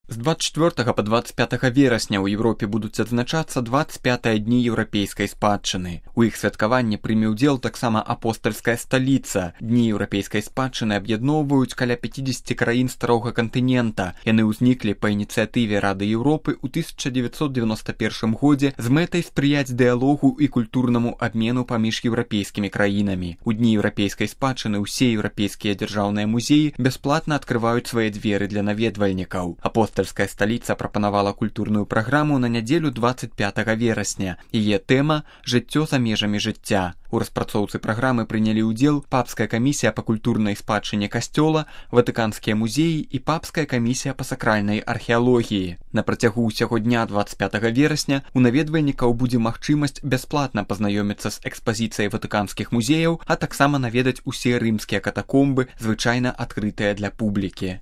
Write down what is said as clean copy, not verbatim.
З 24 па 25 верасня ў Еўропе будуць адзначацца 25 дні еўрапейскай спадчыны. У іх святкаванні прыме ўдзел таксама апостальская сталіца. Дні еўрапейскай спадчыны аб'ядноўваюць каля 50 краін старога кантынента. Яны ўзніклі па ініцыятыве Рады Еўропы ў 1991 годзе з мэтай спрыяць дыялогу і культурнаму абмену паміж еўрапейскімі краінамі. У дні еўрапейскай спадчыны ўсе еўрапейскія дзяржаўныя музеі бясплатна адкрываюць свае дзверы для наведвальнікаў. Апостальская сталіца прапанавала культурную праграму на нядзелю 25 верасня. Яе тэма «Жыццё за межамі жыцця». У распрацоўцы праграмы прынялі ўдзел Папская камісія па культурнай спадчыне касцёла, Ватыканскія музеі і Папская камісія па сакральнай археалогіі. На працягу ўсяго дня 25 верасня у наведвальнікаў будзе магчымасць бясплатна пазнаёміцца з экспазіцыяй ватыканскіх музеяў, а таксама наведаць усе рымскія катакомбы, звычайна адкрытыя для публікі.